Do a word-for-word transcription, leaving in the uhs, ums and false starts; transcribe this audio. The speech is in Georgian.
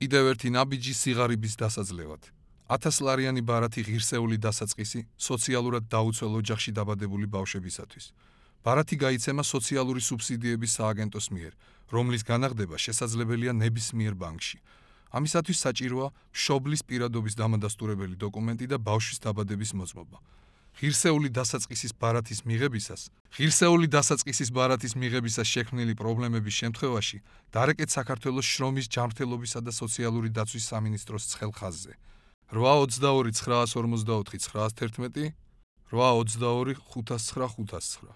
კიდევ ერთი ნაბიჯი სიღარიბის დასაძლევად. ათასლარიანი ბარათი ღირსეული დასაწყისი სოციალურად დაუცველ ოჯახში დაბადებული ბავშვებისათვის. ბარათი გაიცემა სოციალური სუბსიდიების სააგენტოს მიერ, რომლის განაღდება შესაძლებელია ნებისმიერ ბანკში. ამისათვის საჭიროა მშობლის პირადობის დამადასტურებელი დოკუმენტი და ბავშვის დაბადების მოწმობა. ღირსეული დასაწყისის ბარათის მიღებისას, ღირსეული დასაწყისის ბარათის მიღებისას შექმნილი პრობლემების შემთხვევაში დარეკეთ საქართველოს შრომის, ჯანმრთელობისა და სოციალური დაცვის სამინისტროს ცხელ ხაზზე. რვა ოცდაორი ცხრაასორმოცდაოთხი ცხრაასთერთმეტი, რვა ოცდაორი ხუთასცხრა ხუთასცხრა.